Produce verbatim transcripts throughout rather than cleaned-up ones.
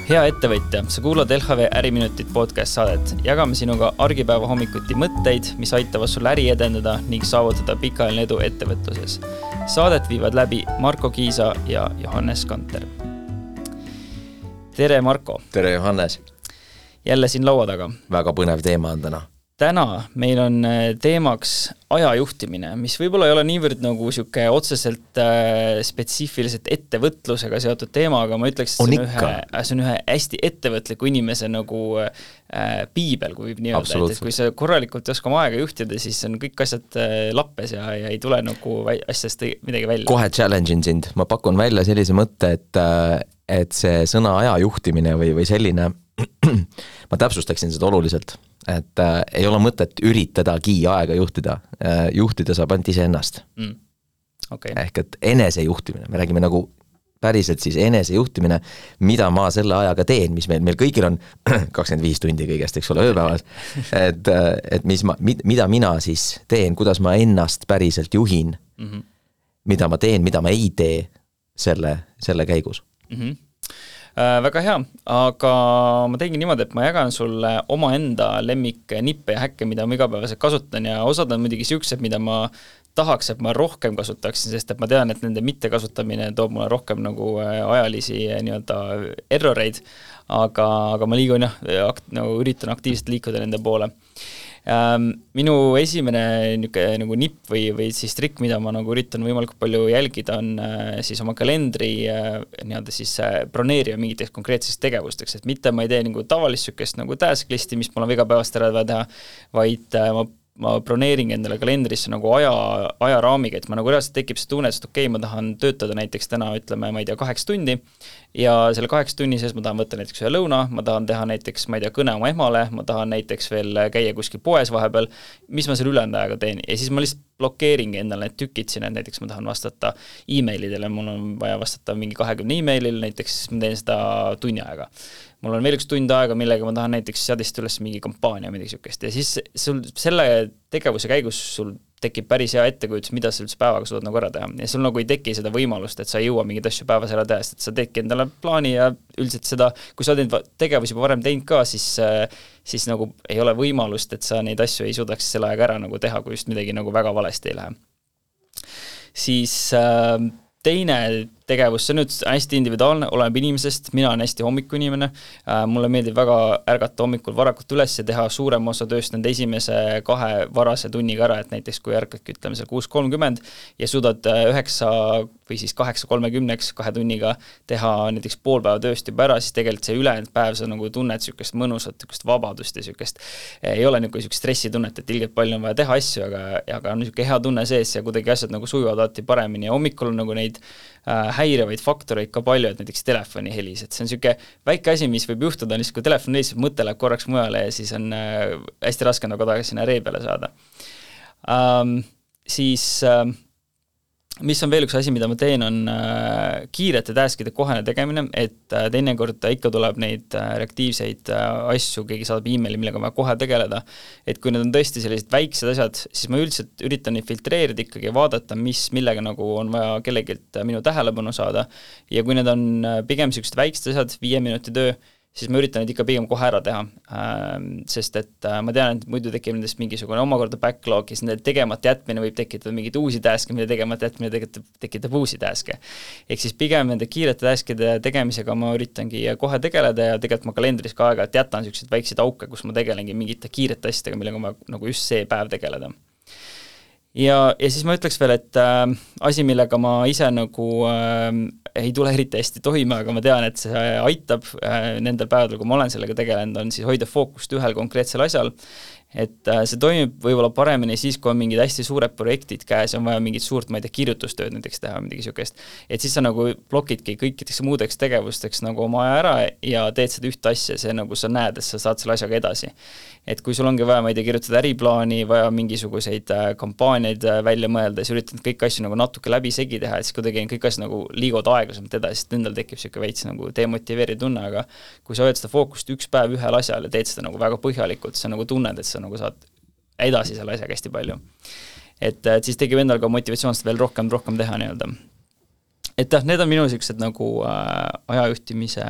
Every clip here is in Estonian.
Hea ettevõtja, sa kuulad L H V Äriminutit podcast saadet. Jagame sinuga argipäeva hommikuti mõtteid, mis aitavad sul äri edendada ning saavutada pikaajaline edu ettevõtluses. Saadet viivad läbi Marko Kiisa ja Johannes Kanter. Tere Marko! Tere Johannes! Jälle siin laua taga. Väga põnev teema on täna. Täna meil on teemaks ajajuhtimine, mis võib-olla ei ole niivõrd nagu siuke otseselt äh, spetsiifiliselt ettevõtlusega seotud teema, aga ma ütleks, et see on, ühe, see on ühe hästi ettevõtliku inimese nagu äh, piibel, kui võib nii öelda, et, et kui sa korralikult ei oska oma aega juhtida, siis on kõik asjad äh, lappes ja, ja ei tule nagu asjast midagi välja. Kohe challenge in sind. Ma pakun välja sellise mõtte, et, et see sõna ajajuhtimine või, või selline, ma täpsustaksin seda oluliselt, et äh, ei ole mõtet üritadagi aega juhtida. Äh, juhtida saab ainult ise ennast. Mm. Okay. Ehk et enesejuhtimine. Me räägime nagu päriselt siis enesejuhtimine, mida ma selle ajaga teen, mis meil, meil kõigil on kakskümmend viis tundi kõigest, eks ole, ööpäevas. Et, et mis ma, mida mina siis teen, kuidas ma ennast päriselt juhin, mm-hmm. mida ma teen, mida ma ei tee selle, selle käigus. Mm-hmm. Äh, väga hea, aga ma teingi niimoodi, et ma jagan sulle oma enda lemmik nippe ja häkke, mida ma igapäevaselt kasutan ja osad on muidugi siuksed, mida ma tahaks, et ma rohkem kasutaksin, sest et ma tean, et nende mittekasutamine toob mulle rohkem nagu ajalisi nii-öelda erroreid, aga, aga ma liigun jah, akt, nagu üritan aktiivselt liikuda nende poole. Ähm, minu esimene niuke, nagu nipp või, või siis trikk, mida ma nagu üritan võimalikult palju jälgida, on äh, siis oma kalendri äh, nii-öelda siis äh, broneerida mingiteks konkreetseks tegevusteks, et mitte ma ei tee nagu tavalist sükest nagu task listi, mis mul on igapäevast ära teha, vaid äh, ma ma broneerin endale kalendrisse nagu aja, ajaraamiga, et ma nagu reaalselt tekib see tunne, et okei, ma tahan töötada näiteks täna, ütleme, ma ei tea, kaheksa tundi ja selle kaheksa tunni sees ma tahan võtta näiteks ühe lõuna, ma tahan teha näiteks, ma ei tea, kõne oma emale, ma tahan näiteks veel käia kuskil poes vahepeal, mis ma selle ülejäänud ajaga teen ja siis ma lihtsalt blokeeringi endale need tükid siin, et näiteks ma tahan vastata e-mailidele, mul on vaja vastata mingi kahekümne e-mailil, näiteks ma teen seda tunni aega. Mul on veel üks tund aega, millega ma tahan näiteks seadist üles mingi kampaania midagi sükest ja siis sul selle tegevuse käigus sul tekib päris hea ettekujutus, mida sa üldse päevaga suudad nagu ära teha ja sul nagu ei teki seda võimalust, et sa ei jõua mingid asju päevas ära teha, sest sa teedki endale plaani ja üldiselt seda, kui sa oled tegevusi juba varem teinud ka, siis, siis nagu ei ole võimalust, et sa neid asju ei suudaks selle aega ära nagu teha, kui just midagi nagu väga valesti ei lähe. Siis äh, teine tegevus, see on nüüd hästi individuaalne, oleneb inimesest, mina olen hästi hommikuinimene, mulle meeldib väga ärgata hommikul varakult üles ja teha suurem osa tööst nende esimese kahe varase tunniga ära, et näiteks kui ärkadki, ütleme seal kuus kolmkümmend ja suudad üheksa või siis kaheksa kolmekümneks kahe tunniga teha näiteks pool päeva tööst juba ära, siis tegelikult see ülejäänud päev sa nagu tunned sükest mõnusat, sükest vabadust ja sükest ei ole nagu sükest stressitunnet, et ilgelt palju on vaja teha asju, aga, aga on niisugune hea tunne sees ja kuidagi asjad nagu sujuvad alati paremini ja hommikul on nagu neid häirevaid faktoreid ka palju, et näiteks telefoni helis, et see on niisugune väike asi, mis võib juhtuda, on lihtsalt kui telefon helis, mõte läheb korraks mujale ja siis on äh, hästi raske nagu tagasi sinna ree peale saada. Ähm, siis äh, mis on veel üks asi, mida ma teen, on äh, kiirete taskide kohene tegemine, et äh, teinekord ikka tuleb neid äh, reaktiivseid äh, asju, keegi saadab e-maili, millega ma kohe tegeleda, et kui need on tõesti sellised väiksed asjad, siis ma üldiselt üritan neid filtreerida ikkagi ja vaadata, mis, millega nagu on vaja kellegilt minu tähelepanu saada ja kui need on pigem sellised väiksed asjad, viie minuti töö, siis ma üritan neid ikka pigem kohe ära teha, sest et ma tean, et muidu tekib nendest mingisugune omakorda backlog, siis nende tegemata jätmine võib tekitada mingid uusi taske, mida tegemata jätmine tekitab, tekitab uusi taske. Ehk siis pigem nende kiirete taskide tegemisega ma üritangi kohe tegeleda ja tegelikult ma kalendris ka aega, et jätan selliseid väikseid auke, kus ma tegelengi mingite kiirete asjadega, millega ma nagu just see päev tegeleda. Ja, ja siis ma ütleks veel, et äh, asi, millega ma ise nagu äh, ei tule eriti hästi toime, aga ma tean, et see aitab äh, nendel päevadel, kui ma olen sellega tegelenud, on siis hoida fookust ühel konkreetsel asjal, et äh, see toimib võib-olla paremini siis, kui on mingid hästi suured projektid käes, on vaja mingit suurt, ma ei tea, kirjutustööd näiteks teha, midagi sükest, et siis sa nagu blokidki kõikideks muudeks tegevusteks nagu oma aja ära ja teed seda ühte asja, see nagu sa näed, et sa saad selle asjaga edasi. Et kui sul ongi vaja, ma ei tea, kirjutada äriplaani, vaja mingisuguseid äh, kampaaniaid äh, välja mõelda, siis üritad kõik asju nagu natuke läbi segi teha, et siis kuidagi kõik asju nagu liigud aeglasemalt edasi, sest endal tekib siuke veits nagu demotiveeriv tunne, aga kui sa hoiad seda fookust üks päev ühel asjal ja teed seda nagu väga põhjalikult, sa nagu tunned, et sa nagu saad edasi selle asjaga hästi palju. Et, et siis tekib endal ka motivatsioonist veel rohkem, rohkem teha nii-öelda. et jah, need on minu siuksed nagu äh, ajajuhtimise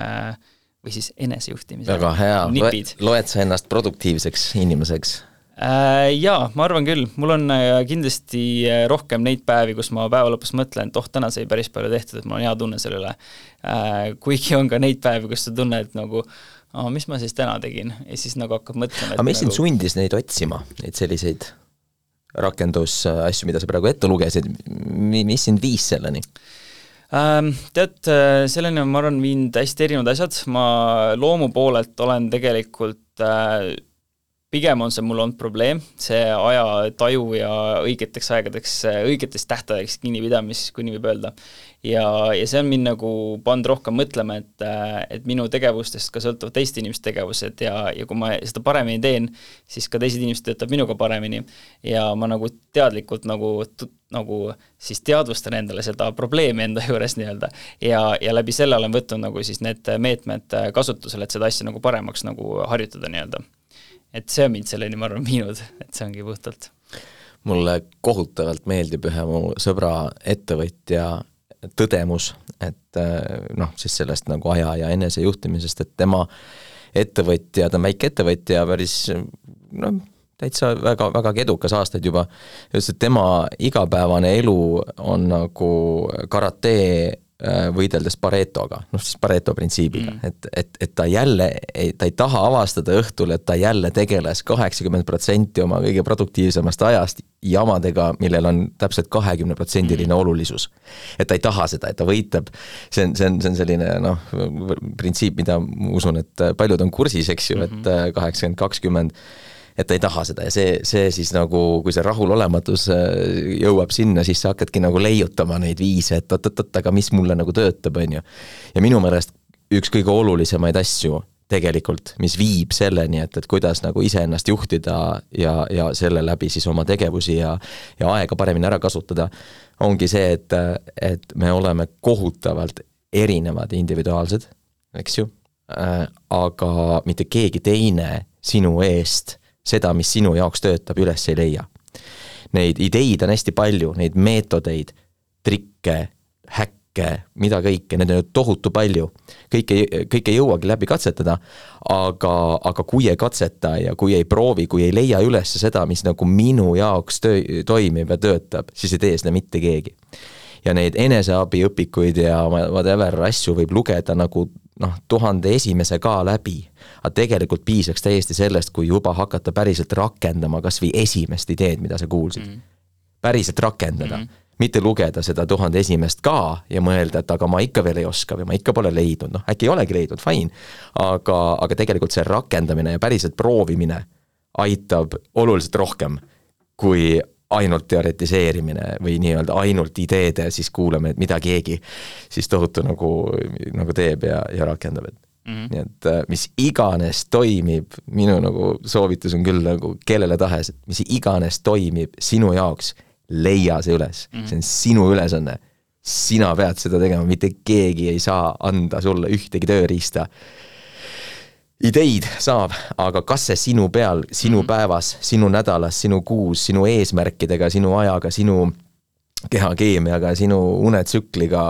või siis enesejuhtimise väga hea, nipid. Loed sa ennast produktiivseks inimeseks? Äh, jaa, ma arvan küll, mul on kindlasti rohkem neid päevi, kus ma päeva lõpus mõtlen, et oh, täna sai päris palju tehtud, et mul on hea tunne selle üle. Äh, kuigi on ka neid päevi, kus sa tunned, et nagu oh, mis ma siis täna tegin ja siis nagu hakkab mõtlema. Aga mis nagu... sind sundis neid otsima, neid selliseid rakendusasju, mida sa praegu ette lugesid, mis sind viis selleni? Tead, selleni on, ma arvan, viinud hästi erinevad asjad, ma loomu poolelt olen tegelikult, pigem on see mul olnud probleem, see aja taju ja õigeteks aegadeks, õigetest tähtedeks kinnipidamis, kui nii võib öelda. Ja, ja see on mind nagu pannud rohkem mõtlema, et, et minu tegevustest ka sõltuvad teiste inimeste tegevused ja, ja kui ma seda paremini teen, siis ka teised inimesed töötab minuga paremini ja ma nagu teadlikult nagu, nagu siis teadvustan endale seda probleemi enda juures nii-öelda ja, ja läbi selle olen võtnud nagu siis need meetmed kasutusele, et seda asja nagu paremaks nagu harjutada nii-öelda. Et see on mind selleni, ma arvan, viinud, et see ongi puhtalt. Mulle kohutavalt meeldib ühe mu sõbra ettevõtja tõdemus, et noh, siis sellest nagu aja ja enesejuhtimisest, et tema ettevõtja, ta on väike ettevõtja, päris noh, täitsa väga, väga edukas aastaid juba, just et tema igapäevane elu on nagu karate võideldes Paretoga, noh siis Pareto printsiibiga, mm. et, et, et ta jälle, ta ei taha avastada õhtul, et ta jälle tegeles kaheksakümmend protsenti oma kõige produktiivsemast ajast jamadega, millel on täpselt kahekümne protsendiline mm. olulisus. Et ta ei taha seda, et ta võitleb, see on, see on, see on selline noh, printsiip, mida ma usun, et paljud on kursis, eks ju, mm-hmm. et kaheksakümmend kakskümmend et ta ei taha seda ja see, see siis nagu, kui see rahulolematus jõuab sinna, siis sa hakkadki nagu leiutama neid viise, et oot-oot-oot, aga mis mulle nagu töötab, on ju. Ja minu meelest üks kõige olulisemaid asju tegelikult, mis viib selleni, et, et kuidas nagu ise ennast juhtida ja, ja selle läbi siis oma tegevusi ja, ja aega paremini ära kasutada, ongi see, et, et me oleme kohutavalt erinevad individuaalsed, eks ju, aga mitte keegi teine sinu eest seda, mis sinu jaoks töötab, üles ei leia. Neid ideid on hästi palju, neid meetodeid, trikke, häkke, mida kõike, need on tohutu palju. Kõike, kõike ei jõuagi läbi katsetada, aga, aga kui ei katseta ja kui ei proovi, kui ei leia üles seda, mis nagu minu jaoks töö, toimib ja töötab, siis ei tee seda mitte keegi. Ja neid eneseabiõpikuid ja whatever asju võib lugeda nagu noh, tuhande esimese ka läbi, aga tegelikult piisaks täiesti sellest, kui juba hakata päriselt rakendama kas või esimest ideed, mida sa kuulsid. Mm. Päriselt rakendada, mm. mitte lugeda seda tuhande esimest ka ja mõelda, et aga ma ikka veel ei oska või ma ikka pole leidnud, noh äkki ei olegi leidnud, fine, aga, aga tegelikult see rakendamine ja päriselt proovimine aitab oluliselt rohkem kui ainult teoretiseerimine või nii-öelda ainult ideede, siis kuuleme, et mida keegi siis tohutu nagu, nagu teeb ja, ja rakendab. Mm-hmm. Nii et mis iganes toimib, minu nagu soovitus on küll nagu kellele tahes, et mis iganes toimib sinu jaoks, leia see üles. Mm-hmm. See on sinu ülesanne. Sina pead seda tegema, mitte keegi ei saa anda sulle ühtegi tööriista. Ideid saab, aga kas see sinu peal, sinu mm-hmm. päevas, sinu nädalas, sinu kuus, sinu eesmärkidega, sinu ajaga, sinu kehakeemiaga, sinu unetsükliga,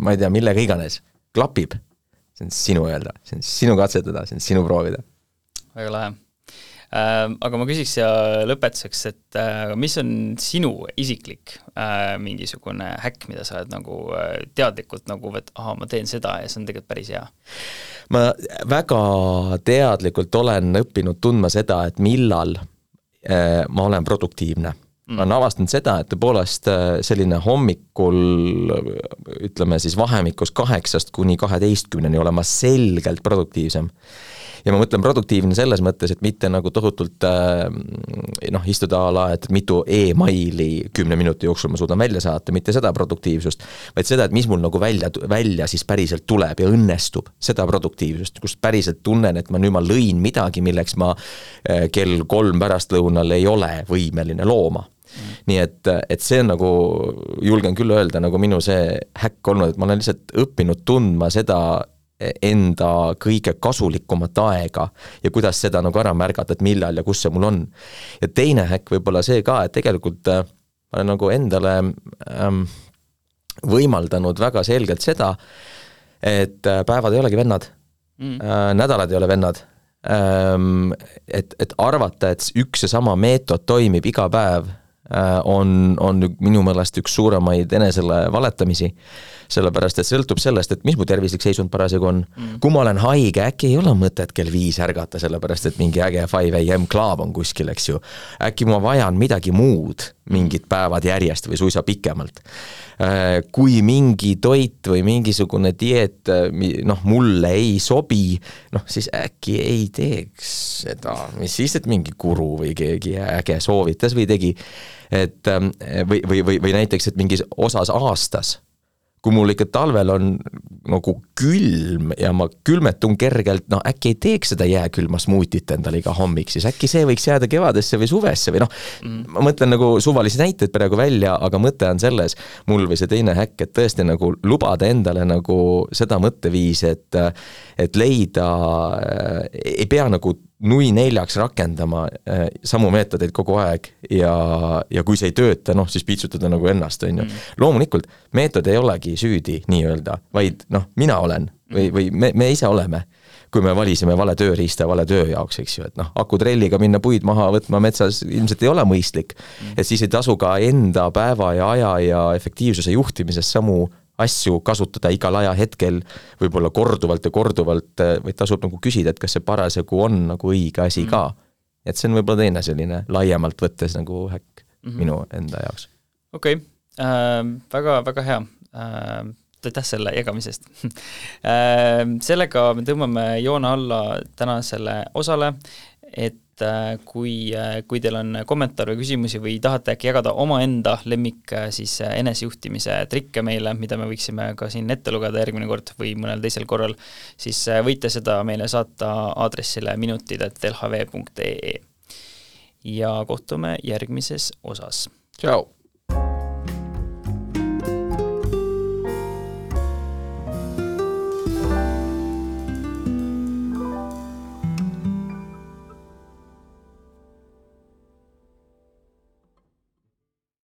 ma ei tea, millega iganes, klapib. See on sinu öelda, see on sinu katsetada, see on sinu proovida. Väga lahe. Äh, aga ma küsiks ja lõpetuseks, et äh, mis on sinu isiklik äh, mingisugune häkk, mida sa oled nagu äh, teadlikult nagu, et aha, ma teen seda ja see on tegelikult päris hea? Ma väga teadlikult olen õppinud tundma seda, et millal äh, ma olen produktiivne. Mm. Ma olen avastanud seda, et tõepoolest selline hommikul, ütleme siis vahemikus kaheksast kuni kaheteistkümneni olema selgelt produktiivsem. Ja ma mõtlen produktiivne selles mõttes, et mitte nagu tohutult noh, istuda ala, et mitu e-maili kümne minuti jooksul ma suudan välja saata, mitte seda produktiivsust, vaid seda, et mis mul nagu välja, välja siis päriselt tuleb ja õnnestub seda produktiivsust, kus päriselt tunnen, et ma nüüd ma lõin midagi, milleks ma kell kolm pärastlõunal ei ole võimeline looma. Mm. Nii et, et see on nagu, julgen küll öelda, nagu minu see häkk olnud, et ma olen lihtsalt õppinud tundma seda enda kõige kasulikumat aega ja kuidas seda nagu ära märgata, et millal ja kus see mul on. Ja teine häkk võib-olla see ka, et tegelikult ma olen nagu endale ähm, võimaldanud väga selgelt seda, et päevad ei olegi vennad mm., nädalad ei ole vennad, et, et arvata, et üks ja sama meetod toimib iga päev, on, on minu meelest üks suuremaid enesele valetamisi, sellepärast, et sõltub sellest, et mis mu tervislik seisund parasjagu on. Mm. Kui ma olen haige, äkki ei ole mõtet kell viis ärgata, sellepärast, et mingi äge five a m klaav on kuskil, eks ju. Äkki ma vajan midagi muud, mingid päevad järjest või suisa pikemalt. Kui mingi toit või mingisugune dieet noh, mulle ei sobi, noh, siis äkki ei teeks seda, mis siis, et mingi guru või keegi äge soovitas või tegi, et või, või, või, või näiteks, et mingis osas aastas, kui mul ikka talvel on nagu külm ja ma külmetun kergelt, no äkki ei teeks seda jääkülma smuutit endale iga hommik, siis äkki see võiks jääda kevadesse või suvesse või noh, mm. ma mõtlen nagu suvalisi näiteid praegu välja, aga mõte on selles, mul või see teine häkk, et tõesti nagu lubada endale nagu seda mõtteviis, et, et leida, ei pea nagu nui neljaks rakendama äh, samu meetodeid kogu aeg ja, ja kui see ei tööta, noh, siis piitsutada nagu ennast, on ju. Mm. Loomulikult, meetod ei olegi süüdi nii-öelda, vaid noh, mina olen või, või me, me ise oleme, kui me valisime vale tööriista vale töö jaoks, eks ju, et noh, akutrelliga minna puid maha võtma metsas ilmselt ei ole mõistlik, mm. et siis ei tasu ka enda päeva ja aja ja efektiivsuse juhtimises samu asju kasutada igal aja hetkel võib-olla korduvalt ja korduvalt, või tasub nagu küsida, et kas see parasjagu on nagu õige asi ka. Et see on võib-olla teine selline laiemalt võttes nagu häkk mm-hmm. minu enda jaoks. Okei, okay. äh, väga, väga hea. Äh, aitäh selle jagamisest. äh, sellega me tõmbame joone alla tänasele osale, et kui, kui teil on kommentaar või küsimusi või tahate äkki jagada omaenda lemmik siis enesejuhtimise trikke meile, mida me võiksime ka siin ette lugeda järgmine kord või mõnel teisel korral, siis võite seda meile saata aadressile minutid at l h v punkt e e. Ja kohtume järgmises osas. Tšau!